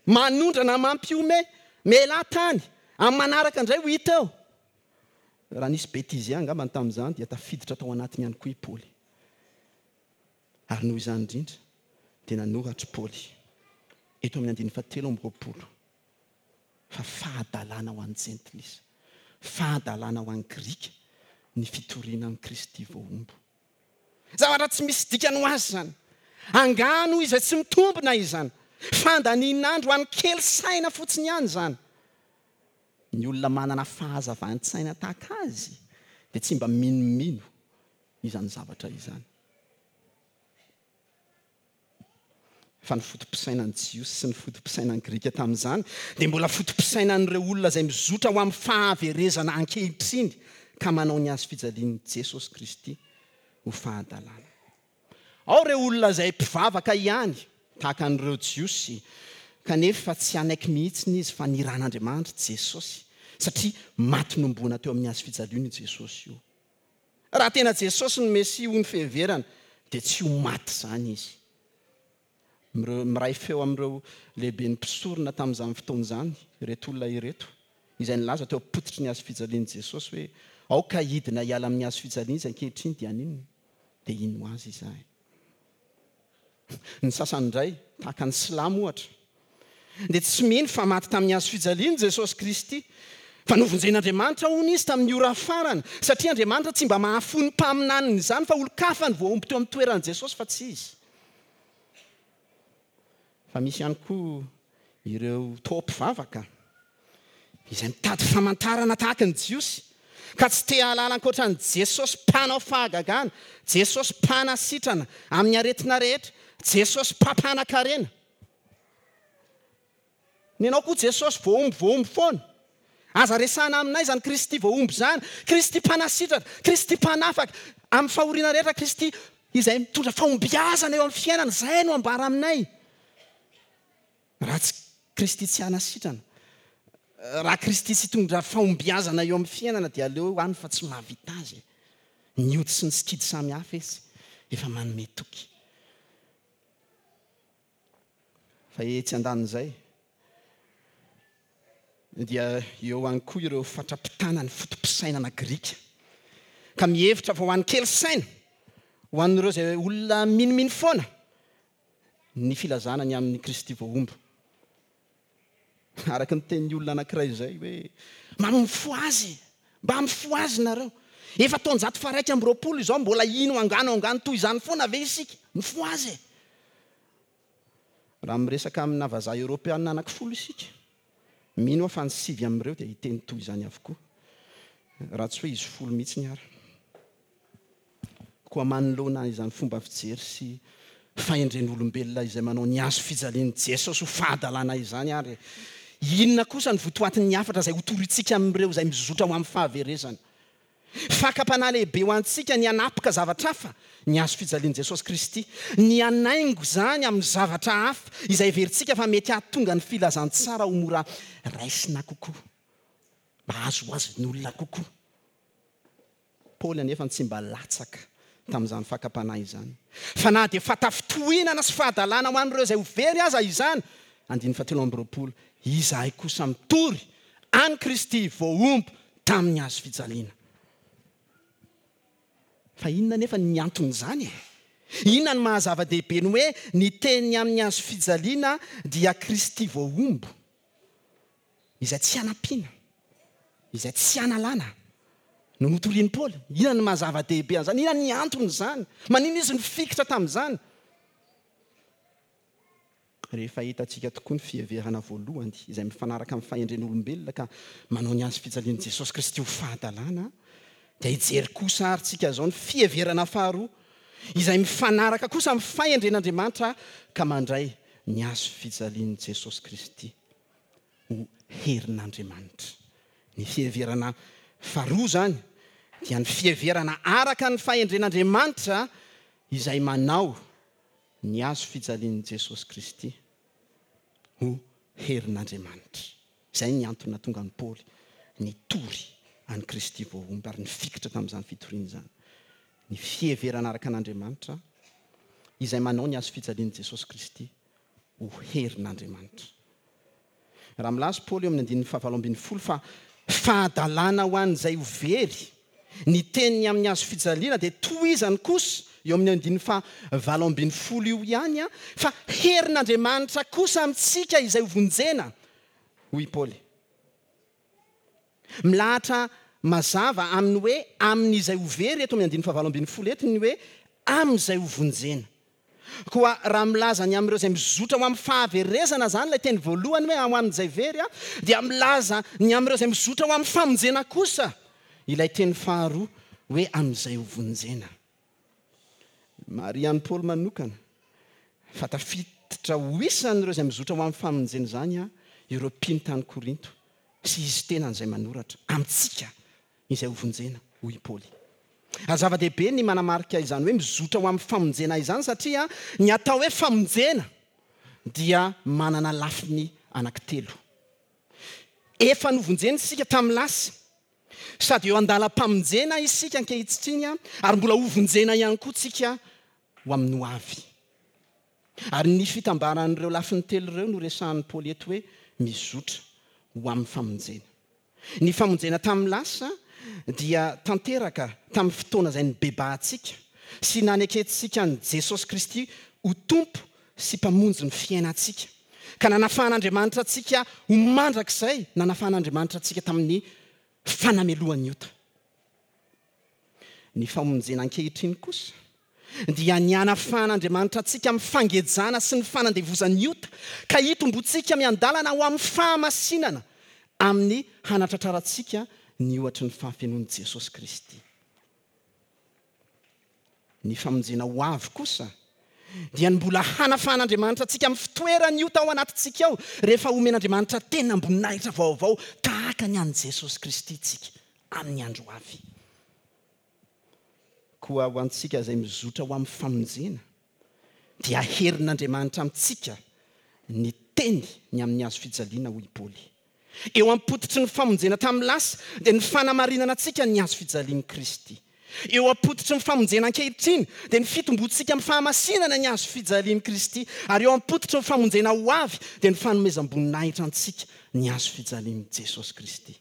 Manondrana mampihomehy. Mialà tany. Amin'ny manaraka indray ho hita eo. Raha nisy bêtisier angambany tamin'izany dia tafiditra tao anatiny ihany koa i Paoly. Ary noho izany indrindra dia nanoratra i Paoly eto amin'ny andininy fahatelo amby roapolo fa fahadalana ho an'ny Jentilisa, fahadalana ho an'ny Grika ny fitoriana an'i Kristy voahombo. Zavatra tsy misy dikany ho azy izany. Angano izay tsy mitombina izany. Fandanian'andro ho an'ny kely saina fotsiny ihany izany. Ny olona manana fahazavan-tsaina tahaka azy dia tsy mba minomino izany zavatra izany. Fa ny foto-pisainan'ny Jiosy sy ny foto-pisainan'ny Grika tamin'izany dia mbola foto-pisainan'ireo olona izay mizotra ho amin'ny fahaverezana ankehitriny ka manao ny hazo fijalian'i Jesosy Kristy ho fahadalana. Ao ireo olona izay mpivavaka ihany, tahaka an'ireo Jiosy, kanefa tsy hanaiky mihitsy izy fa niran'Andriamanitra Jesosy, satria maty nohomboana teo amin'ny hazo fijaliana io Jesosy io. Raha tena Jesosy no Mesia hoy ny fiheverana, dia tsy ho maty izany Izy. Mireo, miray feo amin'ireo lehiben'ny mpisorona tamin'izany fotoana izany ireto olona ireto, izay nilaza teo am-pototry ny hazo fijalian'i Jesosy hoe, Aoka hidina hiala amin'ny hazo fijaliana Izy ankehitriny, dia haninona? Dia hino Azy izahay. Ny sasany indray, tahaka ny silamo ohatra, dia tsy mino fa maty tamin'ny hazo fijaliana Jesosy Kristy, fa novonjen'Andriamanitra hono izy tamin'ny ora farany, satria Andriamanitra tsy mba mahafoy ny mpaminaniny izany fa olon-kafa no voahombo teo amin'ny toeran'i Jesosy fa tsy izy. Fa misy ihany koa ireo toa mpivavaka izay mitady famantarana tahaka ny Jiosy, ka tsy te hahalala ankoatra an'i Jesosy mpanao fahagagana, Jesosy mpanasitrana amin'ny aretina rehetra, Jesosy mpampanakarena. Ny anao koa Jesosy voahombo voahombo foana. Aza resahana aminay izany Kristy voahombo izany, Kristy mpanasitrana, Kristy mpanafaka amin'ny fahoriana rehetra, Kristy izay mitondra fahombiazana eo amin'ny fiainana, izay no ambara aminay. Raha tsy Kristy tsy hanasitrana, raha Kristy tsy hitondra fahombiazana eo amin'ny fiainana dia aleo any fa tsy mahavita azy e. Ny ody sy ny sikidy samy hafa izy efa manome toky. Fa etsy andanin'izay dia eo ihany koa ireo fatra-pitana ny foto-pisainana grika ka mihevitra fa ho an'ny kely saina, ho an'ireo izay olona minomino foana, ny filazana ny amin'i Kristy voahombo. Araka ny tenin'ny olona anankiray izay hoe, Mba mifohaza e! Mba mifohaza nareo! Efa taonjato faha-21 izao, mbola hino angano angano toy izany foana ve isika? Mifohaza e! Raha miresaka amina vazaha eoropeana anankifolo isika, mino aho fa ny sivy amin'ireo dia hiteny toy izany avokoa, raha tsy hoe izy folo mihitsiny ara. Koa manoloana izany fomba fijery sy fahendren'olombelona izay manao ny hazo fijalian'i Jesosy ho fahadalana izany ary, inona kosa ny votoatin'ny hafatra izay hotorintsika amin'ireo izay mizotra ho amin'ny fahaverezana? Fakam-panahy lehibe ho antsika ny hanapoka zavatra hafa ny hazo fijalian'i Jesosy Kristy, ny hanaingo izany amin'ny zavatra hafa izay heverintsika fa mety hahatonga ny filazantsara ho mora raisina kokoa, mba hahazoazon'ny olona kokoa. Paoly anefa tsy mba latsaka tamin'izany fakam-panahy izany. Fa na dia fahatafintohinana sy fahadalana ho an'ireo izay ho very aza izany, andininy fahatelo amby roapolo, izahay kosa mitory an'i Kristy voahombo tamin'ny hazo fijaliana. Fa inona anefa ny anton'izany e? Inona no maha zava-dehibe ny hoe ny teny amin'ny hazo fijaliana dia Kristy voahombo? Izay tsy hanampiana, izay tsy hanalana no notorian'i Paoly. Inona no maha zava-dehibe an'izany? Inona ny anton'izany? Maninona izy nifikitra tamin'izany? Rehefa hitantsika tokoa ny fiheverana voalohany izay mifanaraka amin'ny fahendren'olombelona ka manao ny hazo fijalian'i Jesosy Kristy ho fahadalana, dia hijery kosa ary tsika izao ny fiheverana faharoa izay mifanaraka kosa amin'ny fahendren'Andriamanitra ka mandray. ny hazo fijalian'i Jesosy Kristy ho herin'Andriamanitra. Ny fiheverana faharoa izany dia ny fiheverana araka ny fahendren'Andriamanitra izay manao ny hazo fijalian'i Jesosy Kristy ho herin'Andriamanitra. Izay ny antony nahatonga an'i Paoly nitory an'i Kristy voahombo ary nifikitra tamin'izany fitoriana izany. Ny fiheverana araka an'Andriamanitra izay manao ny hazo fijalian'i Jesosy Kristy ho herin'Andriamanitra. Raha milaza Paoly eo amin'ny andininy fahavalo ambinifolo fa fahadalana ho an'izay ho very ny teniny amin'ny hazo fijaliana dia tohizany kosa eo amin'ny andininy faha 18 io ihany fa herin'Andriamanitra kosa amintsika izay ho vonjena, hoy i Paoly. Milahatra mazava amin'ny hoe amin'izay ho very eto amin'ny andininy faha 18 eto ny hoe amin'izay ho vonjena. Koa raha milaza ny amin'ireo izay mizotra ho amin'ny fahaverezana izany ilay teny voalohany hoe ho amin'izay very, dia milaza ny amin'ireo izay mizotra ho amin'ny famonjena kosa ilay teny faharoa hoe amin'izay hovonjena. Marihan'i Paoly manokana fa tafiditra ho isan'ireo izay mizotra ho amin'ny famonjena izany ireo mpino tany Korinto sy izy tenany izay manoratra amintsika izay hovonjena, hoy i Paoly. Ary zava-dehibe ny manamarika izany hoe mizotra ho amin'ny famonjena izany satria ny atao hoe famonjena dia manana lafiny anankitelo. Efa novonjena isika tamin'ny lasa, sady eo an-dalam-pamonjena isika ankehitriny ary mbola hovonjena ihany koa tsika ho amin'ny ho avy. Ary ny fitambaran'ireo lafiny telo ireo no resahan'i Paoly eto hoe mizotra ho amin'ny famonjena. Ny famonjena tamin'ny lasa dia tanteraka tamin'ny fotoana izay nibebahantsika sy nanekentsika an'i Jesosy Kristy ho Tompo sy Mpamonjy ny fiainantsika, ka nanafahan'Andriamanitra antsika ho mandrakizay, nanafahan'Andriamanitra antsika tamin'ny fanamelohan'ny ota. Ny famonjena ankehitriny kosa dia ny hanafahan'Andriamanitra antsika amin'ny fangejana sy ny fanandevozan'ny ota, ka hitomboantsika miandalana ho amin'ny fahamasinana amin'ny hanatratrarantsika ny ohatry ny fahafenoan'i Jesosy Kristy. Ny famonjena ho avy kosa dia ny mbola hanafahan'Andriamanitra antsika amin'ny fitoeran'ny ota ao anatintsika ao, rehefa homen'Andriamanitra tenam-boninahitra vaovao tahaka ny an'i Jesosy Kristy isika amin'ny andro ho avy. Koa ho antsika izay mizotra ho amin'ny famonjena, dia herin'Andriamanitra amintsika ny teny ny amin'ny hazo fijaliana, hoy i Paoly. Eo am-pototry ny famonjena tamin'ny lasa, dia ny fanamarinana antsika ny hazo fijalian'i Kristy. Eo am-pototry ny famonjena ankehitriny, dia ny fitomboantsika amin'ny fahamasinana ny hazo fijalian'i Kristy. Ary eo am-pototry ny famonjena ho avy, dia ny fanomezam-boninahitra antsika ny hazo fijalian'i Jesosy Kristy.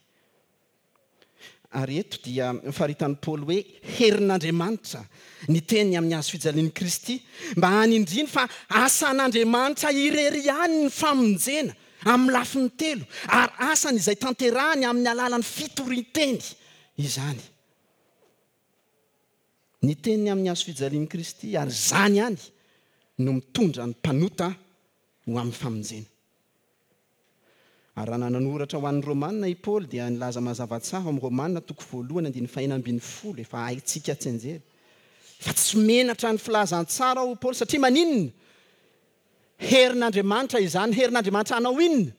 Ary eto dia faritan'i Paoly hoe herin'Andriamanitra ny teny amin'ny hazo fijalian'i Kristy, mba hanindriany fa asan'Andriamanitra irery ihany ny famonjena amin'ny lafiny telo, ary asany izay tanterahany amin'ny alalan'ny fitorian-teny izany. Ny teny amin'ny hazo fijalian'i Kristy, ary izany ihany no mitondra ny mpanota ho amin'ny famonjena. Ary raha nanoratra ho an'ny Romana i Paoly dia nilaza mazava tsara ao amin'ny Romana toko voalohany andininy fahenina ambinifolo, efa haintsika tsianjery, fa tsy menatra ny filazantsara aho hoy Paoly satria maninona? Herin'Andriamanitra izany, herin'Andriamanitra hanao inona?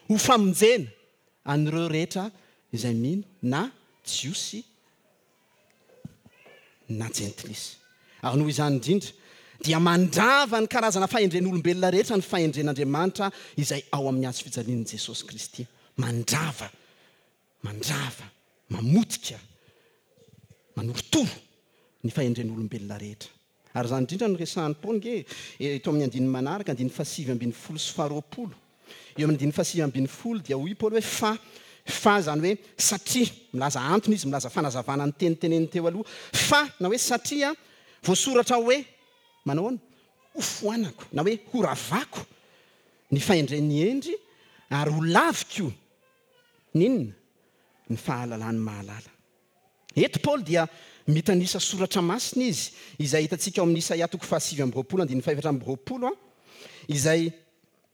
Ho famonjena an'ireo rehetra izay mino na Jiosy na jentilisa. Ary noho izany indrindra, dia mandrava ny karazana fahendren'olombelona rehetra ny fahendren'Andriamanitra izay ao amin'ny hazo fijalian'i Jesosy Kristy. Mandrava, mandrava, mamotika, manorotoro ny fahendren'olombelona rehetra. Ary izany indrindra no resahan'i Paoly ange eto amin'ny andininy manaraka, andininy fahasivy ambinifolo sy faharoapolo. Eo amin'ny andininy fahasivy ambinifolo dia hoy i Paoly hoe fa, fa izany hoe satria, milaza antony izy, milaza fanazavana ny teny teneniny teo aloha, fa na hoe satria voasoratra hoe, manao ahoana? Hofoanako na hoe horavako ny fahendren'ny hendry ary holaviko ny inona? Ny fahalalan'ny mahalala. Eto Paoly dia mitanisa soratra masina izy, izay hitantsika ao amin'ny Isaia toko fahasivy amby roapolo andininy fahefatra amby roapolo, izay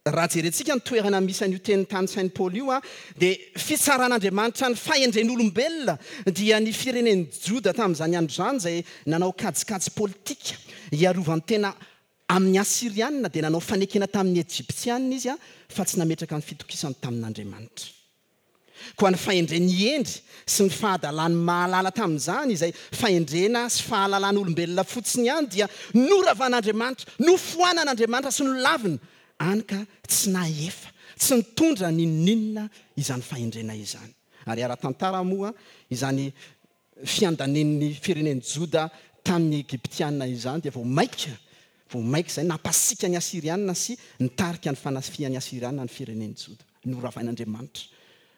raha jerentsika ny toerana misy an'io teny tanisain'i Paoly io, dia fitsaran'Andriamanitra ny fahendren'olombelona dia ny firenen'i Joda tamin'izany andro izany izay nanao kajikajy politika hiarovan-tena. Amin'ny Asyrianina dia nanao fanekena tamin'ny Ejiptianina izy fa tsy nametraka ny fitokisany tamin'Andriamanitra. Koa ny fahendren'ny hendry sy ny fahadalan'ny mahalala tamin'izany, izay fahendrena sy fahalalan'olombelona fotsiny ihany, dia noravan'Andriamanitra, nofoanan'Andriamanitra sy nolavina, hany ka tsy nahefa, tsy nitondra n'inon'inona izany fahendrena izany. Ary ara-tantara moa izany fiandanian'ny firenen'i Joda tamin'ny Egyptiana izany dia vao mainka vao mainka izay nampasiaka ny Asyriana sy nitarika ny fanafihan'ny Asyriana ny firenen'i Joda. Noravain'Andriamanitra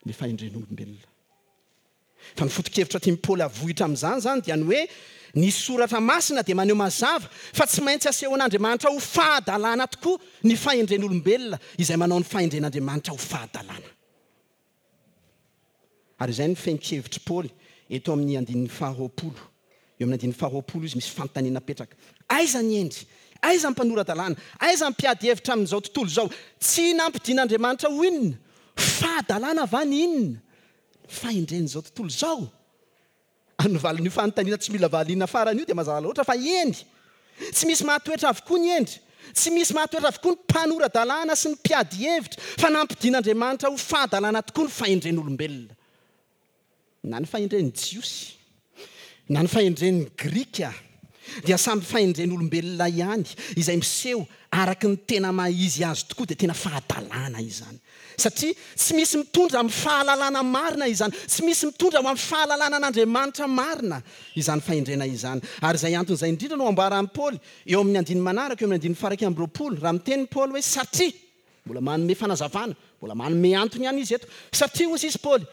ny fahendren'olombelona. Fa ny foto-kevitra tian'i Paoly havohitra amin'izany izany dia ny hoe ny Soratra Masina dia maneho mazava fa tsy maintsy asehon'Andriamanitra ho fahadalana tokoa ny fahendren'olombelona izay manao ny fahendren'Andriamanitra ho fahadalana. Ary izay no fehin-kevitr'i Paoly eto amin'ny andininy faharoapolo. Eo amin'ny andininy faharoapolo izy misy fanontaniana apetraka. Aiza ny hendry? Aiza ny mpanora-dalàna? Aiza ny mpiady hevitra amin'izao tontolo izao? Tsy nampidin'Andriamanitra ho inona? Fahadalana va ny inona? Ny fahendren'izao tontolo izao? Ary ny valin'io fanontaniana tsy mila valiana farany io dia mazava loatra fa eny! Tsy misy mahatoetra avokoa ny hendry, tsy misy mahatoetra avokoa ny mpanora-dalàna sy ny mpiady hevitra, fa nampidin'Andriamanitra ho fahadalana tokoa ny fahendren'olombelona. Na ny fahendren'ny Jiosy, na ny fahendren'ny Grika, dia samy fahendren'olombelona ihany, izay miseho araka ny tena maha izy azy tokoa dia tena fahadalana izany. Satria tsy misy mitondra amin'ny fahalalana marina izany, tsy misy mitondra ho amin'ny fahalalana an'Andriamanitra marina izany fahendrena izany. Ary izay antony izay indrindra no ambaran'i Paoly eo amin'ny andininy manaraka, eo amin'ny andininy faha-21, raha miteny Paoly hoe satria, mbola manome fanazavana, mbola manome antony ihany izy eto, satria hozy izy Paoly,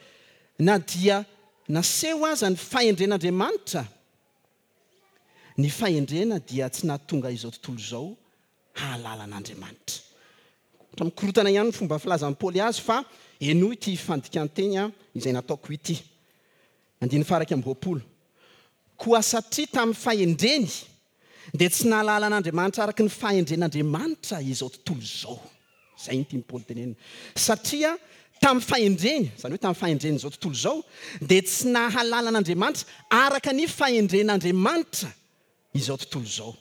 na dia naseho aza ny fahendren'Andriamanitra, ny fahendrena dia tsy nahatonga izao tontolo izao hahalala an'Andriamanitra. Ohatra mikorontana ihany ny fomba filazan'i Paoly azy fa henoy ity fandikan-teny izay nataoko ity. Andininy faha-21. Koa satria tamin'ny fahendreny dia tsy nahalala an'Andriamanitra araka ny fahendren'Andriamanitra izao tontolo izao. Izay no tian'i Paoly tenenina. Satria tamin'ny fahendreny, izany hoe tamin'ny fahendren'izao tontolo izao, dia tsy nahalala an'Andriamanitra araka ny fahendren'Andriamanitra izao tontolo izao.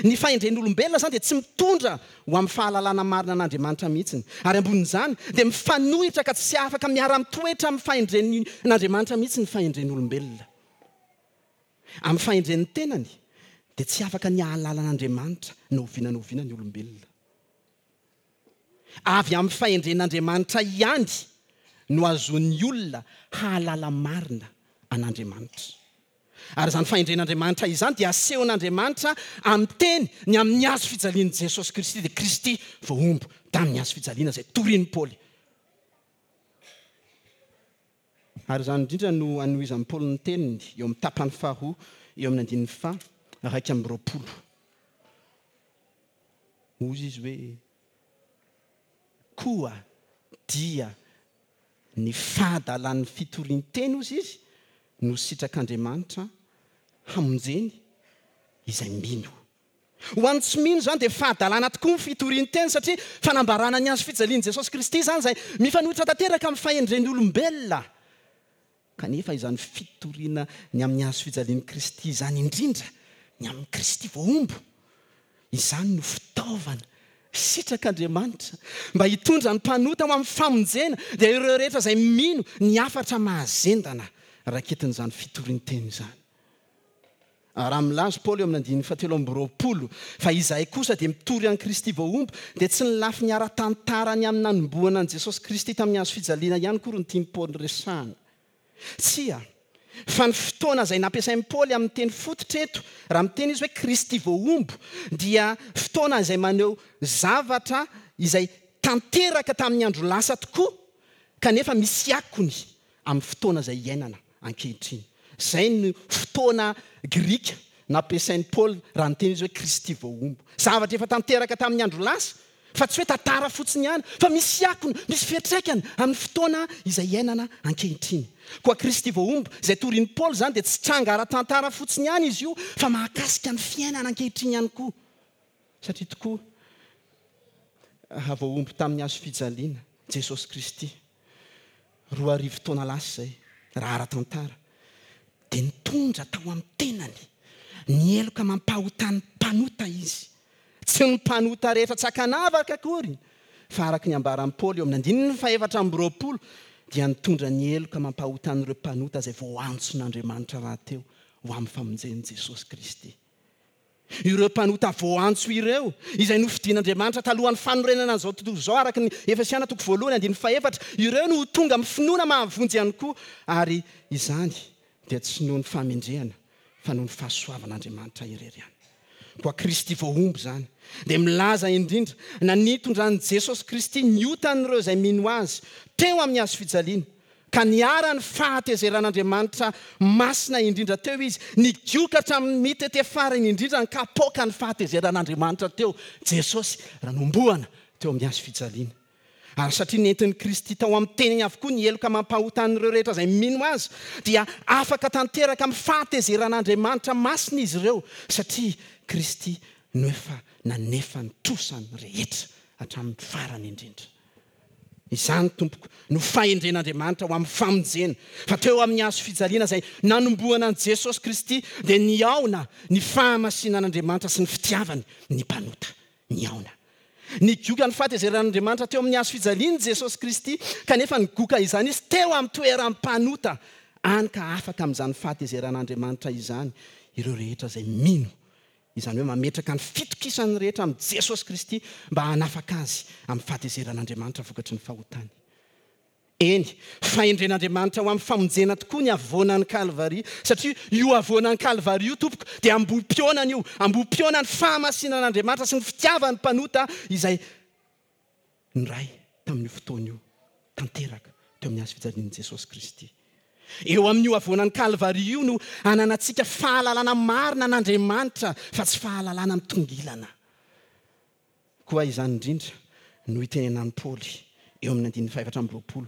Ny fahendren'olombelona izany dia tsy mitondra ho amin'ny fahalalana marina an'Andriamanitra mihitsy. Ary ambonin'izany, dia mifanohitra ka tsy afaka miara-mitoetra amin'ny fahendren'Andriamanitra mihitsy ny fahendren'olombelona. Amin'ny fahendren'ny tenany, dia tsy afaka ny hahalala an'Andriamanitra na oviana na oviana ny olombelona. Avy amin'ny fahendren'Andriamanitra ihany no ahazoan'ny olona hahalala marina an'Andriamanitra. Ary izany fahendren'Andriamanitra izany dia asehon'Andriamanitra amin'ny teny ny amin'ny hazo fijalian'i Jesosy Kristy, dia Kristy voahombo tamin'ny hazo fijaliana izay torian'i Paoly. Ary izany indrindra no anohizan'i Paoly ny teniny eo amin'ny tapany faharoa eo amin'ny andininy faha 21. Hoy izy hoe, Koa dia Ny fahadalan'ny fitorian-teny, hozy izy, no sitrak'Andriamanitra hamonjeny izay mino. Ho an'ny tsy mino izany dia fahadalana tokoa ny fitorian-teny satria fanambarana ny hazo fijalian'i Jesosy Kristy izany izay mifanohitra tanteraka amin'ny fahendren'ny olombelona. Kanefa izany fitoriana ny amin'ny hazo fijalian'i Kristy izany indrindra, ny amin'i Kristy voahombo, izany no fitaovana sitrak'Andriamanitra mba hitondra ny mpanota ho amin'ny famonjena, dia ireo rehetra izay mino ny hafatra mahazendana raketin'izany fitorian-teny izany. Raha milaza Paoly eo amin'ny andininy fahatelo amby 20 fa izahay kosa dia mitory an'i Kristy voahombo, dia tsy ny lafiny ara-tantara ny amin'ny nanombohana an'i Jesosy Kristy tamin'ny hazo fijaliana ihany akory no tian'i Paoly resahana. Tsia, fa ny fotoana izay nampiasain'i Paoly amin'ny teny fototra eto, raha miteny izy hoe Kristy voahombo, dia fotoana izay maneho zavatra izay tanteraka tamin'ny andro lasa tokoa, kanefa misy akony amin'ny fotoana izay iainana ankehitriny. Izay no fotoana grika nampiasain'i Paoly raha niteny izy hoe Kristy voahombo. Zavatra efa tanteraka tamin'ny andro lasa, fa tsy hoe tantara fotsiny ihany, fa misy akony, misy fiantraikany amin'ny fotoana izay iainana ankehitriny. Koa Kristy voahombo, izay torin'i Paoly izany dia tsy tranga ara-tantara fotsiny ihany izy io, fa mahakasika ny fiainana ankehitriny ihany koa. Satria tokoa, raha voahombo tamin'ny hazo fijaliana Jesosy Kristy, 2000 taona lasa izay, raha ara-tantara, dia nitondra tao amin'ny tenany ny heloka mampahotan'ny mpanota Izy. Tsy ny mpanota rehetra tsy ankanavaka akory, fa araka ny ambaran'i Paoly eo amin'ny andininy fahefatra amby 20, dia nitondra ny heloka mampahotan'ireo mpanota izay voaantson'Andriamanitra rahateo ho amin'ny famonjen'i Jesosy Kristy. Ireo mpanota voaantso ireo, izay nofidin'Andriamanitra talohan'ny fanorenana an'izao tontolo izao, araka ny Efesiana toko voalohany andininy fahefatra, ireo no ho tonga amin'ny finoana mahavonjy ihany koa, ary izany dia tsy noho ny fahamendrehana fa noho ny fahasoavan'Andriamanitra irery ihany. Koa Kristy voahombo izany dia milaza indrindra na nitondran'i Jesosy Kristy ny otan'ireo izay mino Azy teo amin'ny hazo fijaliana, ka niharan'ny fahatezeran'Andriamanitra masina indrindra teo Izy, nigoka hatramin'ny mitete farany indrindra ny kapoakan'ny fahatezeran'Andriamanitra teo Jesosy raha nohomboana teo amin'ny hazo fijaliana. Ary satria nentin'i Kristy tao amin'ny teniny avokoa ny heloka mampahotan'ireo rehetra izay mino Azy, dia afaka tanteraka amin'ny fahatezeran'Andriamanitra masina izy ireo, satria Kristy no efa nanefa ny trosany rehetra hatramin'ny farany indrindra. Izany, tompoko, no fahendren'Andriamanitra ho amin'ny famonjena, fa teo amin'ny hazo fijaliana izay nanombohana an'i Jesosy Kristy dia nihaona ny fahamasinan'Andriamanitra sy ny fitiavany ny mpanota. Nihaona. Nigoka ny fahatezeran'Andriamanitra teo amin'ny hazo fijaliana i Jesosy Kristy, kanefa nigoka izany Izy teo amin'ny toeran'ny mpanota, hany ka afaka amin'izany fahatezeran'Andriamanitra izany ireo rehetra izay mino, izany hoe mametraka ny fitokisany rehetra amin'i Jesosy Kristy mba hanafaka azy amin'ny fahatezeran'Andriamanitra vokatry ny fahotany. Eny, fahendren'Andriamanitra ho amin'ny famonjena tokoa ny havoanan'i Kalvary, satria io havoanan'i Kalvary io, tompoko, dia ambohi-pihaonana io, ambohi-pihaonan'ny fahamasinan'Andriamanitra sy ny fitiavan'ny mpanota izay niray tamin'io fotoana io, tanteraka teo amin'ny hazo fijalian'i Jesosy Kristy. Eo amin'io havoanan'i Kalvary io no ananantsika fahalalana marina an'Andriamanitra, fa tsy fahalalana mitongilana. Koa izany indrindra no itenenan'i Paoly eo amin'ny andininy fahefatra amby 20,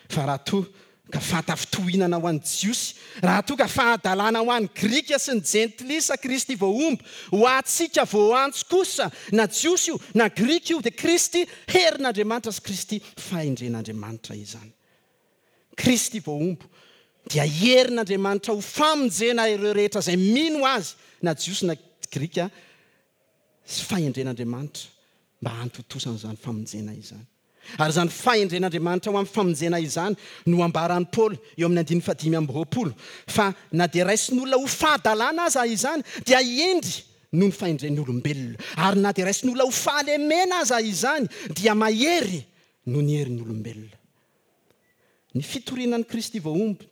fa raha toa ka fahatafintohinana ho an'ny Jiosy, raha toa ka fahadalana ho an'ny Grika sy ny Jentilisa Kristy voahombo, ho antsika voaantso kosa, na Jiosy io na Grika io, dia Kristy herin'Andriamanitra sy Kristy fahendren'Andriamanitra izany. Kristy voahombo dia herin'Andriamanitra ho famonjena ireo rehetra izay mino Azy, na Jiosy na Grika, sy fahendren'Andriamanitra mba hahatontosana izany famonjena izany. Ary izany fahendren'Andriamanitra ho amin'ny famonjena izany no ambaran'i Paoly eo amin'ny andininy fahadimy amby 20, fa na dia raisin'olona ho fahadalana aza izany, dia hendry noho ny fahendren'ny olombelona, ary na dia raisin'olona ho fahalemena aza izany, dia mahery noho ny herin'ny olombelona. Ny fitoriana an'i Kristy voahombo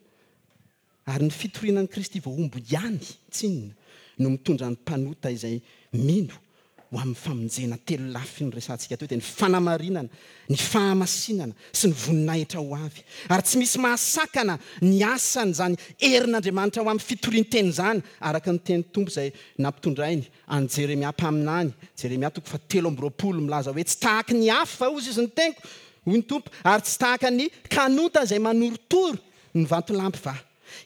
Ary ny fitoriana an'i Kristy voahombo ihany tsinona no mitondra ny mpanota izay mino ho amin'ny famonjena telolafy noresahantsika teo, dia ny fanamarinana, ny fahamasinana sy ny voninahitra ho avy. Ary tsy misy mahasakana ny asan'izany herin'Andriamanitra ho amin'ny fitorian-teny izany, araka ny tenin'ny Tompo izay nampitondrainy an'i Jeremia mpaminany, Jeremia toko fahatelo amby 20, milaza hoe, Tsy tahaky ny afo va hozy izy ny teniko, hoy ny Tompo, ary tsy tahaka ny kanonta izay manorotoro Ny vatolampy va?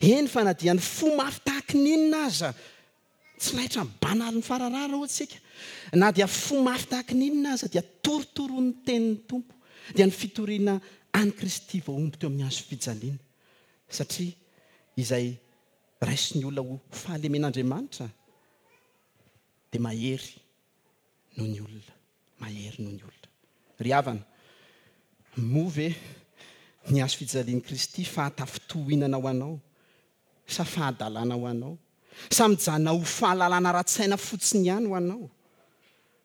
Eny fa na dia ny fo mafy tahaky ny inona aza, tsy laitra amin'ny banaly ny fararara hoy tsika, na dia fo mafy tahaky ny inona aza dia torotoroin'ny tenin'ny Tompo, dia ny fitoriana an'i Kristy voahombo teo amin'ny hazo fijaliana, satria izay raisin'ny olona ho fahalemen'Andriamanitra dia mahery noho ny olona. Mahery noho ny olona. Ry havana, moa ve ny hazo fijalian'i Kristy fahatafintohinana ho anao sa fahadalana ho anao? Sa mijanona ho fahalalana ara-tsaina fotsiny ihany ho anao?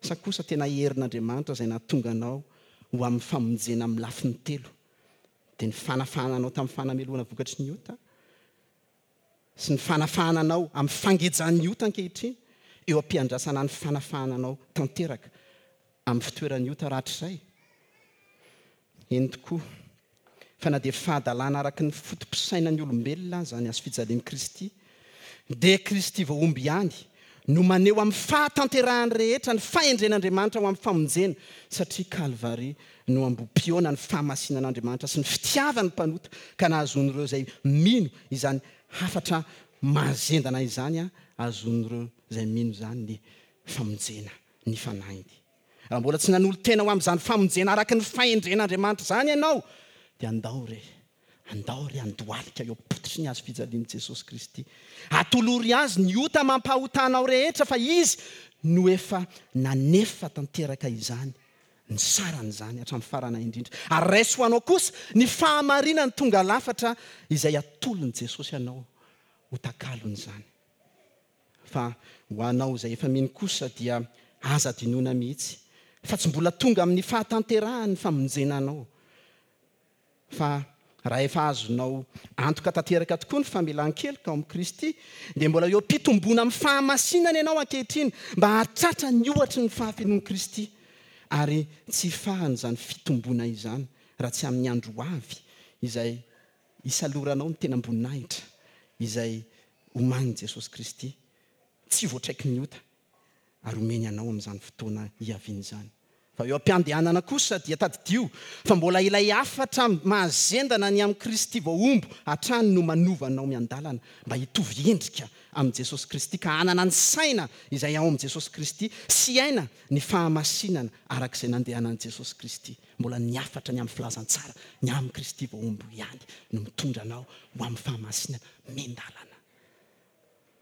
Sa kosa tena herin'Andriamanitra izay nahatonga anao ho amin'ny famonjena amin'ny lafiny telo, dia ny fanafahana anao tamin'ny fanamelohana vokatry ny ota, sy ny fanafahana anao amin'ny fangejan'ny ota ankehitriny, eo am-piandrasana ny fanafahana anao tanteraka amin'ny fitoeran'ny ota rahatrizay? Eny tokoa, fa na dia fahadalana araka ny foto-pisainan'ny olombelona aza ny hazofijalian'i Kristy, dia Kristy voahombo ihany no maneho amin'ny fahatanterahany rehetra ny fahendren'Andriamanitra ho amin'ny famonjena, satria Kalvary no ambohi-pihaona ny fahamasinan'Andriamanitra sy ny fitiavany mpanota, ka nahazoan'ireo izay mino izany hafatra mahazendana izany ahazoan'ireo izay mino izany ny famonjena ny fanahiny. Raha mbola tsy nanolo-tena ho amin'izany famonjena araka ny fahendren'Andriamanitra izany ianao, dia andao re Andao ry handohalika eo am-pototry ny hazo fijalian'i Jesosy Kristy. Atolory Azy ny ota amam-pahotanao rehetra fa Izy no efa nanefa tanteraka izany, ny saran'izany hatramin'ny farana indrindra. Ary raiso ho anao kosa ny fahamarinany tonga lafatra izay atolon'i Jesosy anao ho takalon'izany. Fa ho anao izay efa mino kosa dia aza adinoina mihitsy fa tsy mbola tonga amin'ny fahatanterahany ny famonjena anao. Fa raha efa azonao antoka tanteraka tokoa ny famelan-keloka ao amin'i Kristy, dia mbola eo am-pitomboana amin'ny fahamasinana ianao ankehitriny mba hahatratra ny ohatry ny fahafenoan'i Kristy. Ary tsy hifahana izany fitomboana izany raha tsy amin'ny andro ho avy izay hisaloranao ny tenam-boninahitra izay omanin'i Jesosy Kristy tsy voatraiky ny ota ary omeny anao amin'izany fotoana hiaviany izany. Fa eo am-piandehanana kosa dia tadidio fa mbola ilay hafatra mahazendana ny amin'i Kristy voahombo hatrany no manova anao miandalana mba hitovy endrika amin'i Jesosy Kristy ka hanana ny saina izay ao amin'i Jesosy Kristy sy hiaina ny fahamasinana araka izay nandehanan'i Jesosy Kristy. Mbola ny hafatra ny amin'ny filazantsara ny amin'i Kristy voahombo ihany no mitondra anao ho amin'ny fahamasinana miandalana.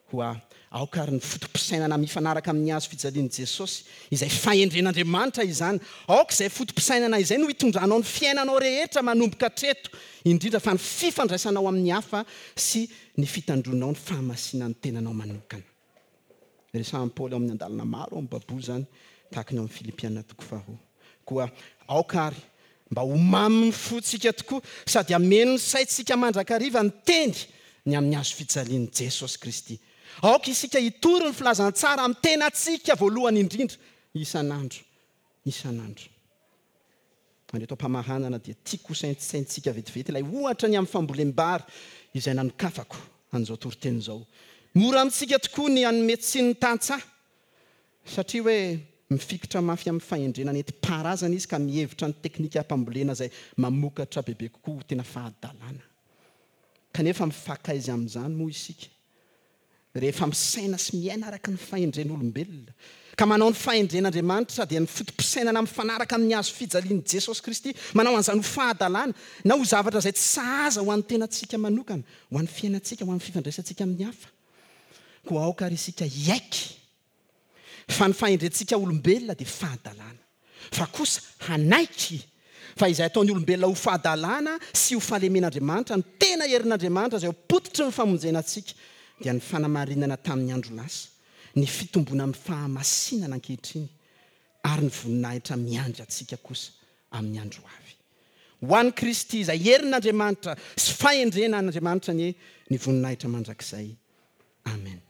Koa aoka àry ny foto-pisainana mifanaraka amin'ny hazo fijalian'i Jesosy, izay fahendren'Andriamanitra izany. Aoka izay foto-pisainana izay no hitondranao ny fiainanao rehetra manomboka hatreto, indrindra fa ny fifandraisanao amin'ny hafa sy ny fitandroanao ny fahamasinan'ny tenanao manokana. Resahin'i Paoly ao amin'ny andalana maro ao amin'ny Baiboly izany, tahaka ny ao amin'ny Filipiana toko faharoa. Koa aoka àry mba ho mamin'ny fontsika tokoa sady hameno ny saintsika mandrakariva ny teny ny amin'ny hazo fijalian'i Jesosy Kristy. Aoka isika hitory ny filazantsara amin'ny tenantsika voalohany indrindra isan'andro isan'andro. Ary eto am-pamaranana dia tiako hosaintsaintsika vetivety ilay ohatra ny amin'ny fambolem-bary izay nanokafako an'izao toriteny izao. Mora amintsika tokoa ny hanome tsiny ny tantsaha Satria hoe mifikitra mafy amin'ny fahendrena nentim-paharazana izy ka mihevitra ny teknikam-pambolena izay mamokatra bebe kokoa ho tena fahadalana. Kanefa mifankaiza amin'izany moa isika rehefa misaina sy miaina araka ny fahendren'olombelona, ka manao ny fahendren'Andriamanitra dia ny foto-pisainana mifanaraka amin'ny hazo fijalian'i Jesosy Kristy, manao an'izany ho fahadalana na ho zavatra izay tsy sahaza ho an'ny tenantsika manokana, ho an'ny fiainantsika, ho an'ny fifandraisantsika amin'ny hafa. Koa aoka àry isika hiaiky fa ny fahendrentsika olombelona dia fahadalana, fa kosa hanaiky fa izay ataon'ny olombelona ho fahadalana sy ho fahalemen'Andriamanitra no tena herin'Andriamanitra izay ho pototry ny famonjena antsika, dia ny fanamarinana tamin'ny andro lasa, ny fitomboana amin'ny fahamasinana ankehitriny, ary ny voninahitra miandry antsika kosa amin'ny andro ho avy. Ho an'i Kristy izay herin'Andriamanitra sy fahendren'Andriamanitra anie ny voninahitra mandrakizay. Amen.